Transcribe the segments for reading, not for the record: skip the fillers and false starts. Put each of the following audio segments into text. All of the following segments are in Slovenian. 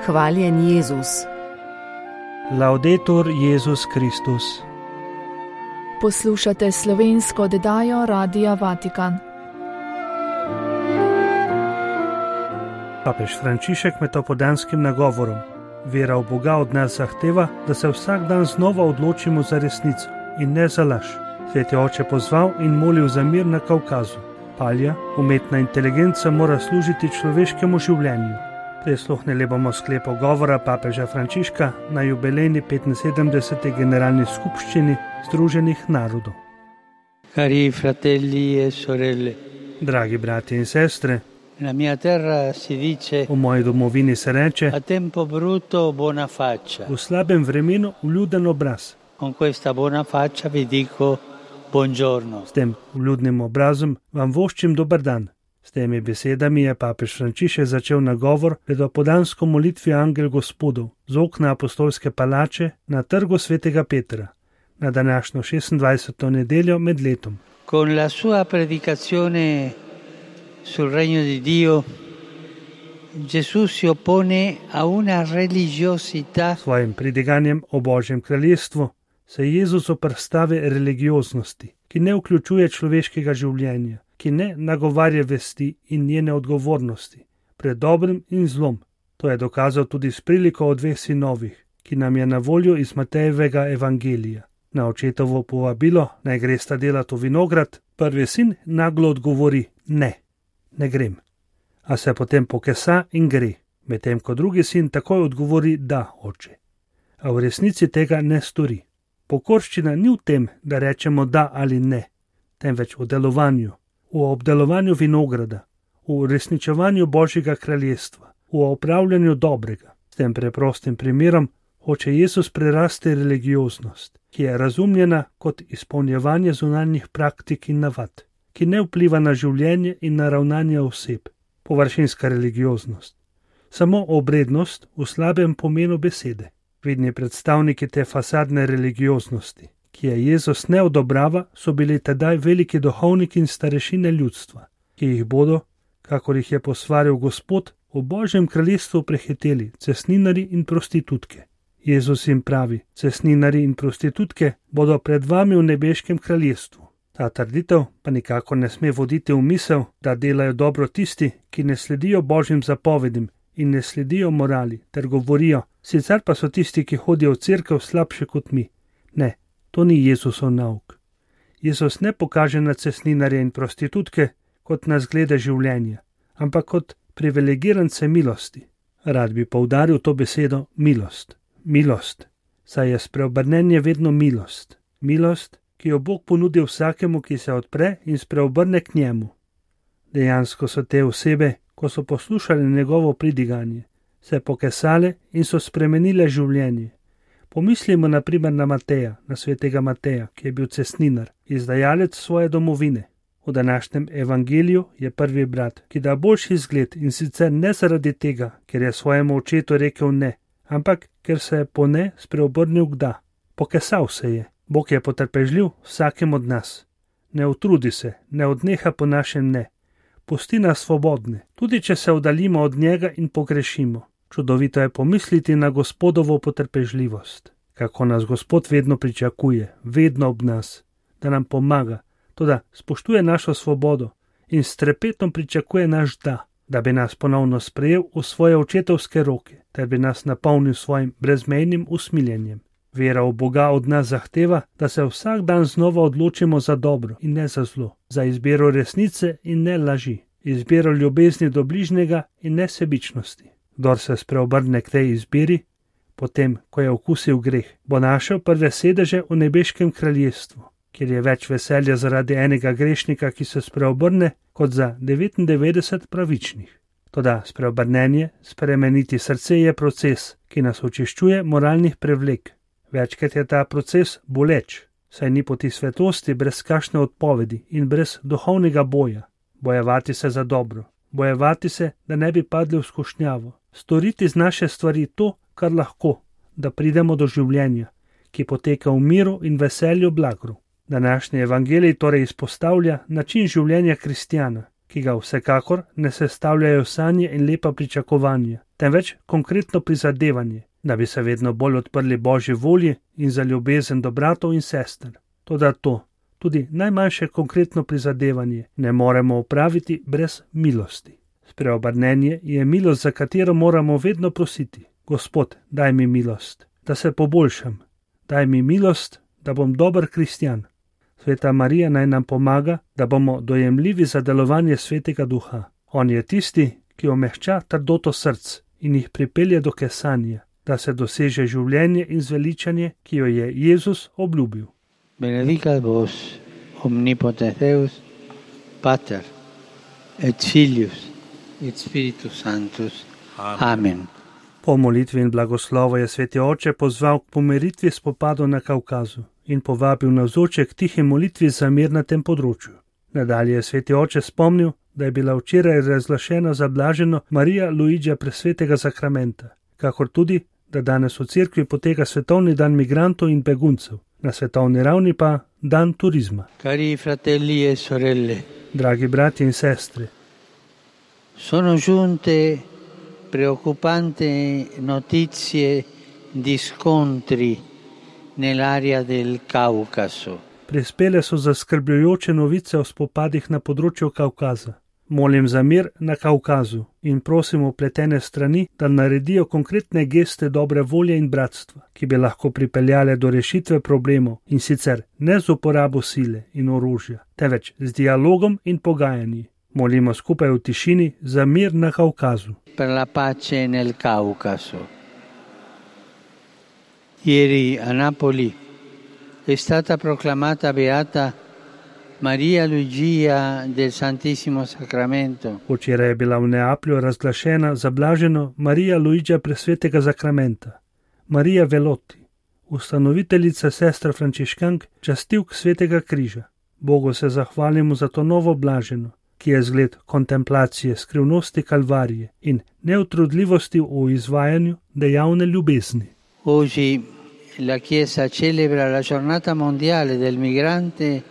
Hvaljen Jezus. Laudetur Jezus Kristus. Poslušate slovensko oddajo Radia Vatikan. Papež Frančišek med opoldanskim nagovorom: vera v Boga od nas zahteva, da se vsak dan znova odločimo za resnico in ne za laž. Sveti oče pozval in molil za mir na Kavkazu. Palja, umetna inteligenca, mora služiti človeškemu življenju. Prisluhnili bomo sklepu govora papeža Frančiška na jubilejni 75. generalni skupščini Združenih narodov. Cari fratelli e sorelle, Dragi brati in sestre, nella mia terra si dice v moji domovini se reče: a tempo brutto buona faccia. v slabem vremenu vljuden obraz. Con questa buona faccia vi dico buongiorno. S tem vljudnim obrazom vam voščim dober dan. S temi besedami je papež Frančišek začel nagovor pred opoldansko molitvijo Angel Gospodov z okna apostolske palače na trgu svetega Petra na današnjo 26. nedeljo med letom. Con la sua predicazione sul regno di Dio, Gesù si oppone a una religiosità Svojim pridiganjem o Božjem kraljestvu se Jezus oprstavi religioznosti, ki ne vključuje človeškega življenja, ki ne nagovarja vesti in njene odgovornosti pred dobrim in zlom. To je dokazal tudi s priliko o dveh sinovih, ki nam je na voljo iz Matejevega evangelija. Na očetovo povabilo, naj gresta delat v vinograd, prvi sin naglo odgovori: ne grem. A se potem pokesa in gre, medtem ko drugi sin takoj odgovori: da, oče. A v resnici tega ne stori. Pokorščina ni v tem, da rečemo da ali ne, temveč v delovanju, v obdelovanju vinograda, v uresničevanju Božjega kraljestva, v opravljanju dobrega. S tem preprostim primerom hoče Jezus prerasti religioznost, ki je razumljena kot izpolnjevanje zunanjih praktik in navad, ki ne vpliva na življenje in na ravnanje oseb, površinska religioznost. Samo obrednost v slabem pomenu besede. Vidni predstavniki te fasadne religioznosti, ki je Jezus ne odobrava, so bili tedaj veliki duhovniki in starešine ljudstva, ki jih bodo, kakor jih je posvaril Gospod, v Božjem kraljestvu prehiteli cestninarji in prostitutke. Jezus jim pravi: cestninarji in prostitutke bodo pred vami v nebeškem kraljestvu. Ta trditev pa nikakor ne sme voditi v misel, da delajo dobro tisti, ki ne sledijo Božjim zapovedim in ne sledijo morali, ter govorijo: sicer pa so tisti, ki hodijo v cerkev, slabši kot mi. Ne, to ni Jezusov nauk. Jezus ne pokaže na cestninarje in prostitutke kot na zglede življenja, ampak kot privilegirance milosti. Rad bi poudaril to besedo milost. Milost, saj je spreobrnenje vedno milost. Milost, ki jo Bog ponudi vsakemu, ki se odpre in spreobrne k njemu. Dejansko so te osebe, ko so poslušali njegovo pridiganje, se pokesale in so spremenile življenje. Pomislimo na primer na Mateja, na svetega Mateja, ki je bil cestninar, izdajalec svoje domovine. V današnjem evangeliju je prvi brat, ki da boljši izgled, in sicer ne zaradi tega, ker je svojemu očetu rekel ne, ampak ker se je po ne spreobrnil k da. Pokesal se je. Bog je potrpežljiv vsakem od nas. Ne utrudi se, ne odneha po našem ne. Pusti nas svobodne, tudi če se oddaljimo od njega in pogrešimo. Čudovito je pomisliti na Gospodovo potrpežljivost. Kako nas Gospod vedno pričakuje, vedno ob nas, da nam pomaga, toda spoštuje našo svobodo in s trepetom pričakuje naš da bi nas ponovno sprejel v svoje očetovske roke, ter bi nas napolnil svojim brezmejnim usmiljenjem. Vera v Boga od nas zahteva, da se vsak dan znova odločimo za dobro in ne za zlo, za izbiro resnice in ne laži, izbiro ljubezni do bližnjega in ne sebičnosti. Kdor se spreobrne k tej izbiri, potem, ko je okusil greh, bo našel prve sedeže v nebeškem kraljestvu, kjer je več veselja zaradi enega grešnika, ki se spreobrne, kot za 99 pravičnih. Toda spreobrnenje, spremeniti srce je proces, ki nas očiščuje moralnih prevlek. Večkrat je ta proces boleč, saj ni poti svetosti brez kakšne odpovedi in brez duhovnega boja. Bojevati se za dobro, bojevati se, da ne bi padli v skušnjavo, storiti z naše stvari to, kar lahko, da pridemo do življenja, ki poteka v miru in veselju blagru. Današnji evangelij torej izpostavlja način življenja kristjana, ki ga vsekakor ne sestavljajo sanje in lepa pričakovanja, temveč konkretno prizadevanje, da bi se vedno bolj odprli Božji volji in za ljubezen do bratov in sester. Toda to, tudi najmanjše konkretno prizadevanje, ne moremo opraviti brez milosti. Spreobrnenje je milost, za katero moramo vedno prositi. Gospod, daj mi milost, da se poboljšam. Daj mi milost, da bom dober kristjan. Sveta Marija naj nam pomaga, da bomo dojemljivi za delovanje Svetega Duha. On je tisti, ki omehča trdoto src in jih pripelje do kesanja, da se doseže življenje in zveličanje, ki jo je Jezus obljubil. Benedicat vos omnipotens Deus, Pater et Filius et Spiritus Sanctus. Amen. Po molitvi in blagoslovu je Sveti Oče pozval k pomiritvi spopadov na Kavkazu in povabil navzoče k tihi molitvi za mir na tem področju. Nadalje je Sveti Oče spomnil, da je bila včeraj razglašena za blaženo Marija Luigija Presvetega Sakramenta, kakor tudi, da danes v cerkvi poteka svetovni dan migrantov in beguncev, na svetovni ravni pa dan turizma. Cari fratelli e sorelle, Dragi bratje in sestre, sono giunte preoccupanti notizie di scontri nell'area del Caucaso. Prispele so zaskrbljujoče novice o spopadih na področju Kavkaza. Molim za mir na Kavkazu in prosim vpletene strani, da naredijo konkretne geste dobre volje in bratstva, ki bi lahko pripeljale do rešitve problemov, in sicer ne z uporabo sile in orožja, temveč z dialogom in pogajanji. Molimo skupaj v tišini za mir na Kavkazu. Per la pace nel Caucaso. Ieri a Napoli è stata proclamata beata Maria Luigia del Santissimo Sacramento. Včeraj je bila v Neaplju razglašena za blaženo Marija Luigija Presvetega Sakramenta. Marija Veloti, ustanoviteljica sestra frančiškank, častilk Svetega križa. Bogu se zahvalimo za to novo blaženo, ki je zgled kontemplacije skrivnosti Kalvarije in neutrudljivosti v izvajanju dejavne ljubezni. Oggi la Chiesa celebra la giornata mondiale del migrante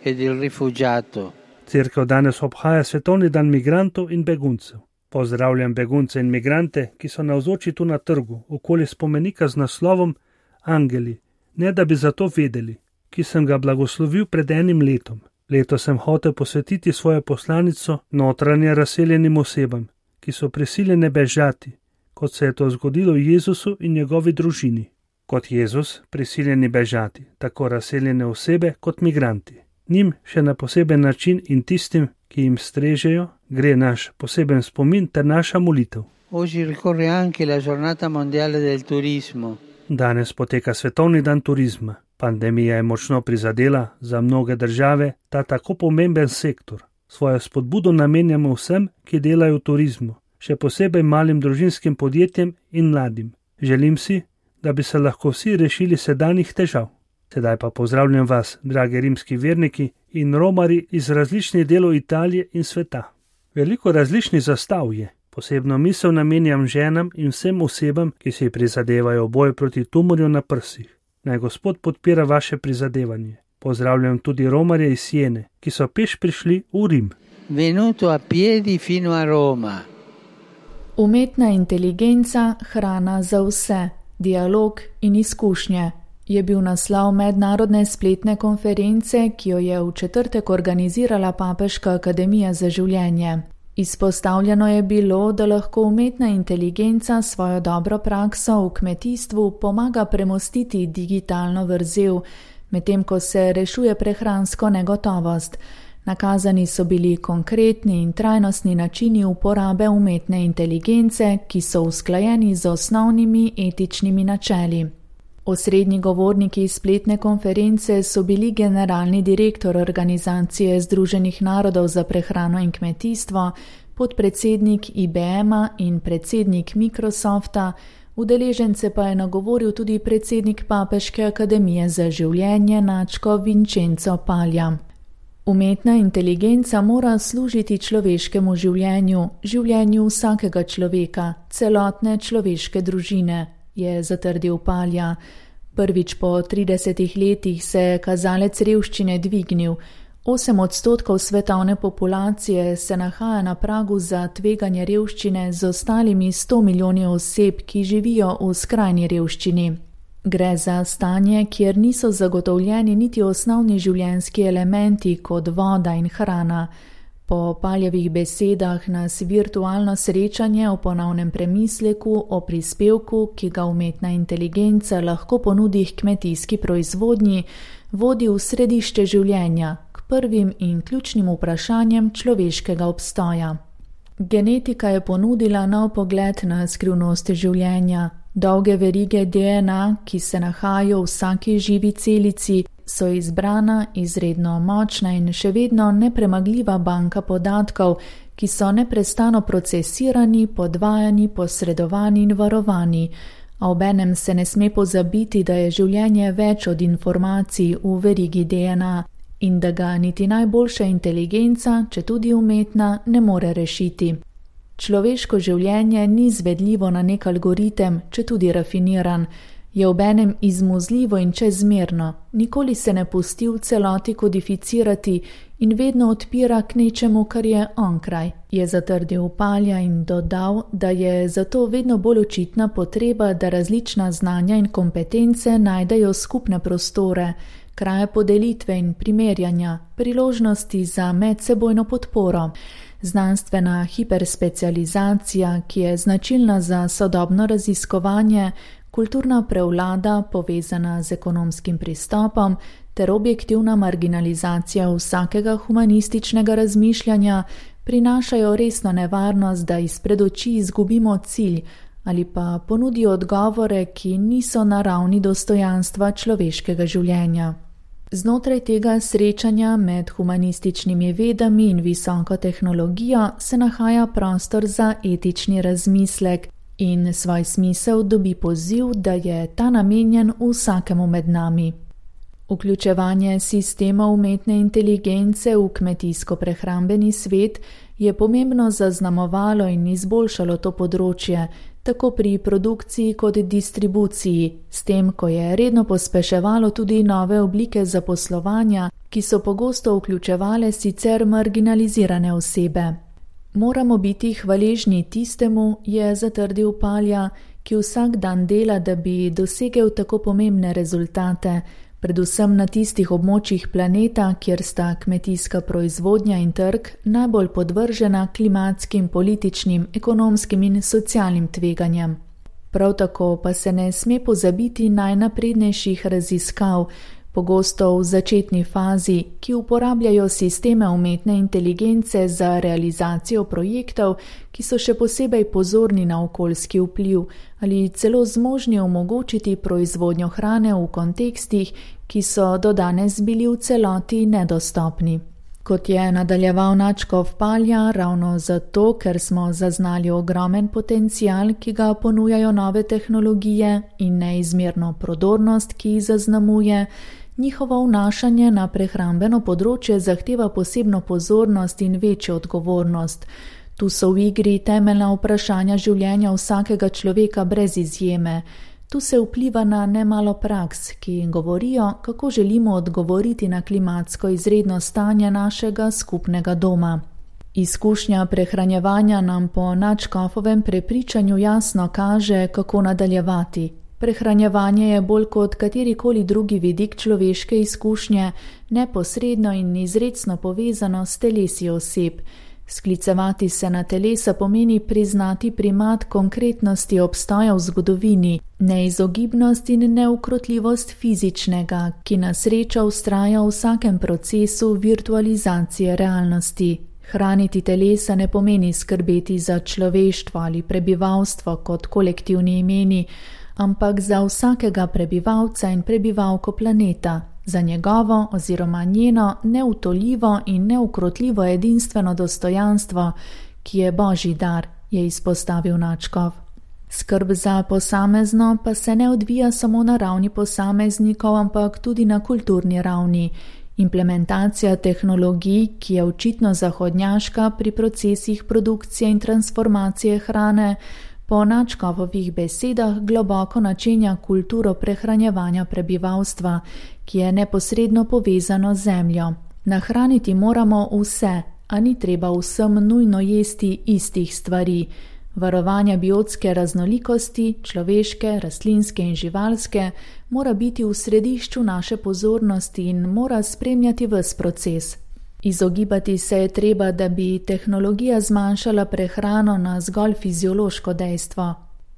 e del rifugiato. Cerkev danes obhaja svetovni dan migrantov in beguncev. Pozdravljam begunce in migrante, ki so navzoči tu na trgu, okoli spomenika z naslovom Angeli, ne da bi za to vedeli, ki sem ga blagoslovil pred enim letom. Leto sem hotel posvetiti svojo poslanico notranje razseljenim osebam, ki so prisiljene bežati, kot se je to zgodilo Jezusu in njegovi družini. Kot Jezus, prisiljeni bežati, tako razseljene osebe kot migranti. Njim še na poseben način in tistim, ki jim strežejo, gre naš poseben spomin ter naša molitev. Oggi ricorre anche la giornata mondiale del turismo. Danes poteka svetovni dan turizma. Pandemija je močno prizadela za mnoge države ta tako pomemben sektor. Svojo spodbudo namenjamo vsem, ki delajo v turizmu, še posebej malim družinskim podjetjem in mladim. Želim si, da bi se lahko vsi rešili sedanjih težav. Sedaj pa pozdravljam vas, dragi rimski verniki in romari iz različnih delov Italije in sveta. Veliko različnih zastav je. Posebno misel namenjam ženam in vsem osebam, ki si prizadevajo boj proti tumorju na prsih. Naj Gospod podpira vaše prizadevanje. Pozdravljam tudi romarje iz Siene, ki so peš prišli v Rim. Venuto a piedi fino a Roma. Umetna inteligenca, hrana za vse, dialog in izkušnje je bil naslov mednarodne spletne konference, ki jo je v četrtek organizirala Papeška akademija za življenje. Izpostavljeno je bilo, da lahko umetna inteligenca svojo dobro prakso v kmetijstvu pomaga premostiti digitalno vrzel, medtem ko se rešuje prehransko negotovost. Nakazani so bili konkretni in trajnostni načini uporabe umetne inteligence, ki so usklajeni z osnovnimi etičnimi načeli. Osrednji govorniki spletne konference so bili generalni direktor Organizacije Združenih narodov za prehrano in kmetijstvo, podpredsednik IBM-a in predsednik Microsofta, udeležence pa je nagovoril tudi predsednik Papeške akademije za življenje Načko Vincenzo Palja. Umetna inteligenca mora služiti človeškemu življenju, življenju vsakega človeka, celotne človeške družine, je zatrdil Palja. Prvič po 30 letih se je kazalec revščine dvignil. 8% svetovne populacije se nahaja na pragu za tveganje revščine z ostalimi 100 milijoni oseb, ki živijo v skrajni revščini. Gre za stanje, kjer niso zagotovljeni niti osnovni življenjski elementi kot voda in hrana. Po Paljevih besedah nas virtualno srečanje o ponovnem premisleku o prispevku, ki ga umetna inteligenca lahko ponudi kmetijski proizvodnji, vodi v središče življenja, k prvim in ključnim vprašanjem človeškega obstoja. Genetika je ponudila nov pogled na skrivnosti življenja. Dolge verige DNA, ki se nahajajo v vsaki živi celici, so izbrana, izredno močna in še vedno nepremagljiva banka podatkov, ki so neprestano procesirani, podvajani, posredovani in varovani. A obenem se ne sme pozabiti, da je življenje več od informacij v verigi DNA in da ga niti najboljša inteligenca, četudi umetna, ne more rešiti. Človeško življenje ni izvedljivo na nek algoritem, četudi rafiniran, je obenem izmuzljivo in čezmerno, nikoli se ne pusti v celoti kodificirati in vedno odpira k nečemu, kar je onkraj, je zatrdil Palja in dodal, da je zato vedno bolj očitna potreba, da različna znanja in kompetence najdejo skupne prostore, kraje podelitve in primerjanja, priložnosti za medsebojno podporo. Znanstvena hiperspecializacija, ki je značilna za sodobno raziskovanje, kulturna prevlada, povezana z ekonomskim pristopom, ter objektivna marginalizacija vsakega humanističnega razmišljanja prinašajo resno nevarnost, da izpred oči izgubimo cilj ali pa ponudijo odgovore, ki niso na ravni dostojanstva človeškega življenja. Znotraj tega srečanja med humanističnimi vedami in visoko tehnologijo se nahaja prostor za etični razmislek in svoj smisel dobi poziv, da je ta namenjen vsakemu med nami. Vključevanje sistema umetne inteligence v kmetijsko-prehrambeni svet je pomembno zaznamovalo in izboljšalo to področje, tako pri produkciji kot distribuciji, s tem, ko je redno pospeševalo tudi nove oblike zaposlovanja, ki so pogosto vključevale sicer marginalizirane osebe. Moramo biti hvaležni tistemu, je zatrdil Palja, ki vsak dan dela, da bi dosegel tako pomembne rezultate, predvsem na tistih območjih planeta, kjer sta kmetijska proizvodnja in trg najbolj podvržena klimatskim, političnim, ekonomskim in socialnim tveganjem. Prav tako pa se ne sme pozabiti najnaprednejših raziskav, pogosto v začetni fazi, ki uporabljajo sisteme umetne inteligence za realizacijo projektov, ki so še posebej pozorni na okoljski vpliv ali celo zmožni omogočiti proizvodnjo hrane v kontekstih, ki so do danes bili v celoti nedostopni. Kot je nadaljeval nadškof Palja, ravno zato, ker smo zaznali ogromen potencial, ki ga ponujajo nove tehnologije in neizmerno prodornost, ki jih zaznamuje, njihovo vnašanje na prehrambeno področje zahteva posebno pozornost in večjo odgovornost. Tu so v igri temeljna vprašanja življenja vsakega človeka brez izjeme. Tu se vpliva na nemalo praks, ki govorijo, kako želimo odgovoriti na klimatsko izredno stanje našega skupnega doma. Izkušnja prehranjevanja nam po nadškofovem prepričanju jasno kaže, kako nadaljevati. Prehranjevanje je bolj kot katerikoli drugi vidik človeške izkušnje neposredno in izrecno povezano s telesi oseb. Sklicevati se na telesa pomeni priznati primat konkretnosti obstoja v zgodovini, neizogibnost in neukrotljivost fizičnega, ki na srečo vztraja v vsakem procesu virtualizacije realnosti. Hraniti telesa ne pomeni skrbeti za človeštvo ali prebivalstvo kot kolektivni imeni, ampak za vsakega prebivalca in prebivalko planeta, za njegovo oziroma njeno neutoljivo in neukrotljivo edinstveno dostojanstvo, ki je božji dar, je izpostavil nadškof. Skrb za posamezno pa se ne odvija samo na ravni posameznikov, ampak tudi na kulturni ravni. Implementacija tehnologij, ki je očitno zahodnjaška pri procesih produkcije in transformacije hrane, po nadškofovih besedah globoko načenja kulturo prehranjevanja prebivalstva, ki je neposredno povezano z zemljo. Nahraniti moramo vse, a ni treba vsem nujno jesti istih stvari. Varovanje biotske raznolikosti, človeške, rastlinske in živalske, mora biti v središču naše pozornosti in mora spremljati ves proces. Izogibati se je treba, da bi tehnologija zmanjšala prehrano na zgolj fiziološko dejstvo.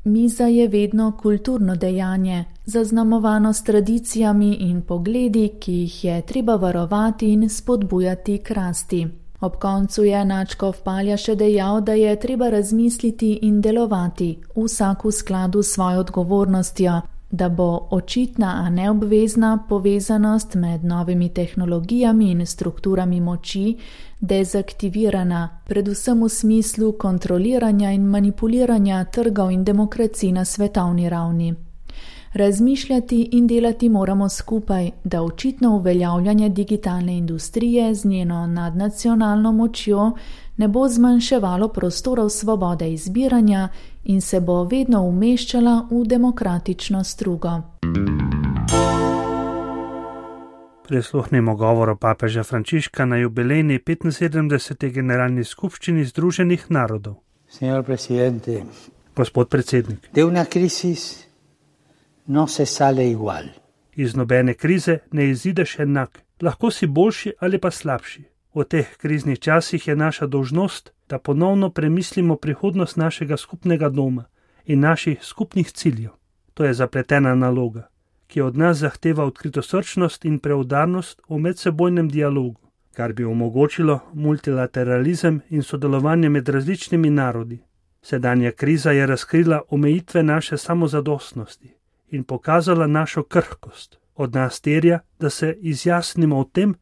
Miza je vedno kulturno dejanje, zaznamovano s tradicijami in pogledi, ki jih je treba varovati in spodbujati k rasti. Ob koncu je nadškof Palja še dejal, da je treba razmisliti in delovati, vsak v skladu s svojo odgovornostjo, da bo očitna, a neobvezna povezanost med novimi tehnologijami in strukturami moči dezaktivirana, predvsem v smislu kontroliranja in manipuliranja trgov in demokracij na svetovni ravni. Razmišljati in delati moramo skupaj, da očitno uveljavljanje digitalne industrije z njeno nadnacionalno močjo ne bo zmanjševalo prostorov svobode izbiranja in se bo vedno umeščala v demokratično strugo. Prisluhnimo govoru papeža Frančiška na jubilejni 75. generalni skupščini Združenih narodov. Gospod predsednik. No se sale igual. Iz nobene krize ne izideš enak, lahko si boljši ali pa slabši. V teh kriznih časih je naša dolžnost, da ponovno premislimo prihodnost našega skupnega doma in naših skupnih ciljev. To je zapletena naloga, ki od nas zahteva odkritosrčnost in preudarnost v medsebojnem dialogu, kar bi omogočilo multilateralizem in sodelovanje med različnimi narodi. Sedanja kriza je razkrila omejitve naše samozadostnosti in pokazala našo krhkost. Od nas terja, da se izjasnimo o tem,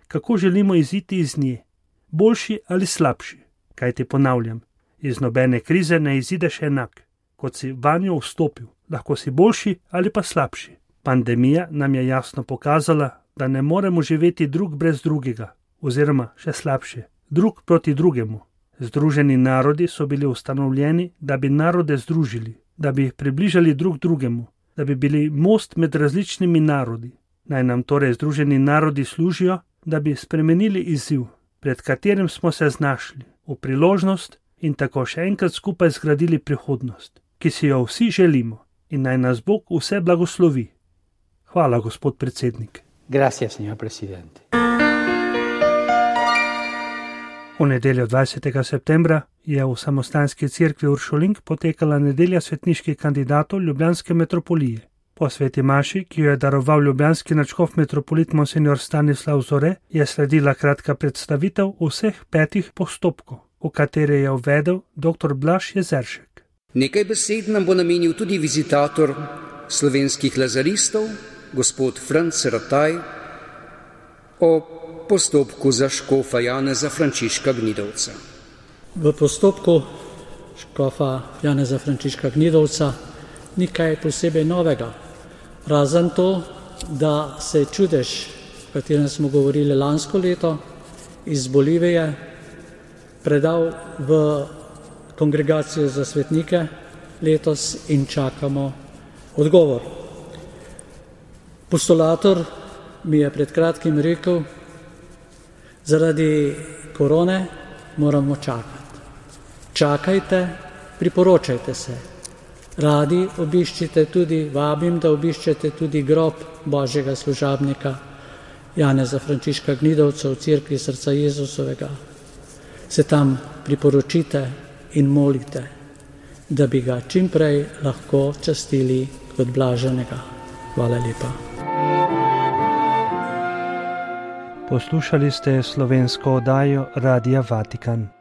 kako želimo iziti iz nje, boljši ali slabši. Kaj ti ponavljam, iz nobene krize ne izideš enak, kot si vanjo vstopil, lahko si boljši ali pa slabši. Pandemija nam je jasno pokazala, da ne moremo živeti drug brez drugega, oziroma še slabše, drug proti drugemu. Združeni narodi so bili ustanovljeni, da bi narode združili, da bi jih približali drug drugemu, da bi bili most med različnimi narodi. Naj nam torej Združeni narodi služijo, da bi spremenili izziv, pred katerim smo se znašli, v priložnost in tako še enkrat skupaj zgradili prihodnost, ki si jo vsi želimo, in naj nas Bog vse blagoslovi. Hvala, gospod predsednik. Gracias, señor presidente. V nedeljo 20. septembra je v Samostanski cerkvi Uršulink potekala nedelja svetniških kandidatov Ljubljanske metropolije. Po sveti maši, ki jo je daroval ljubljanski nadškof metropolit monsignor Stanislav Zore, je sledila kratka predstavitev vseh 5 postopkov, v katere je uvedel dr. Blaž Jezeršek. Nekaj besed nam bo namenil tudi vizitator slovenskih lazaristov, gospod Franc Rataj, o postopku za škofa Janeza Frančiška Gnidovca. V postopku škofa Janeza Frančiška Gnidovca ni kaj posebej novega, razen to, da se je čudež, o katerem smo govorili lansko leto, iz Bolivije predal v kongregacijo za svetnike letos in čakamo odgovor. Postulator mi je pred kratkim rekel, zaradi korone moramo čakati. Čakajte, priporočajte se. Radi obiščite tudi, vabim, da obiščete tudi grob Božjega služabnika Janeza Frančiška Gnidovca v cerkvi Srca Jezusovega. Se tam priporočite in molite, da bi ga čim prej lahko častili kot blaženega. Hvala lepa. Poslušali ste slovensko oddajo Radia Vatikan.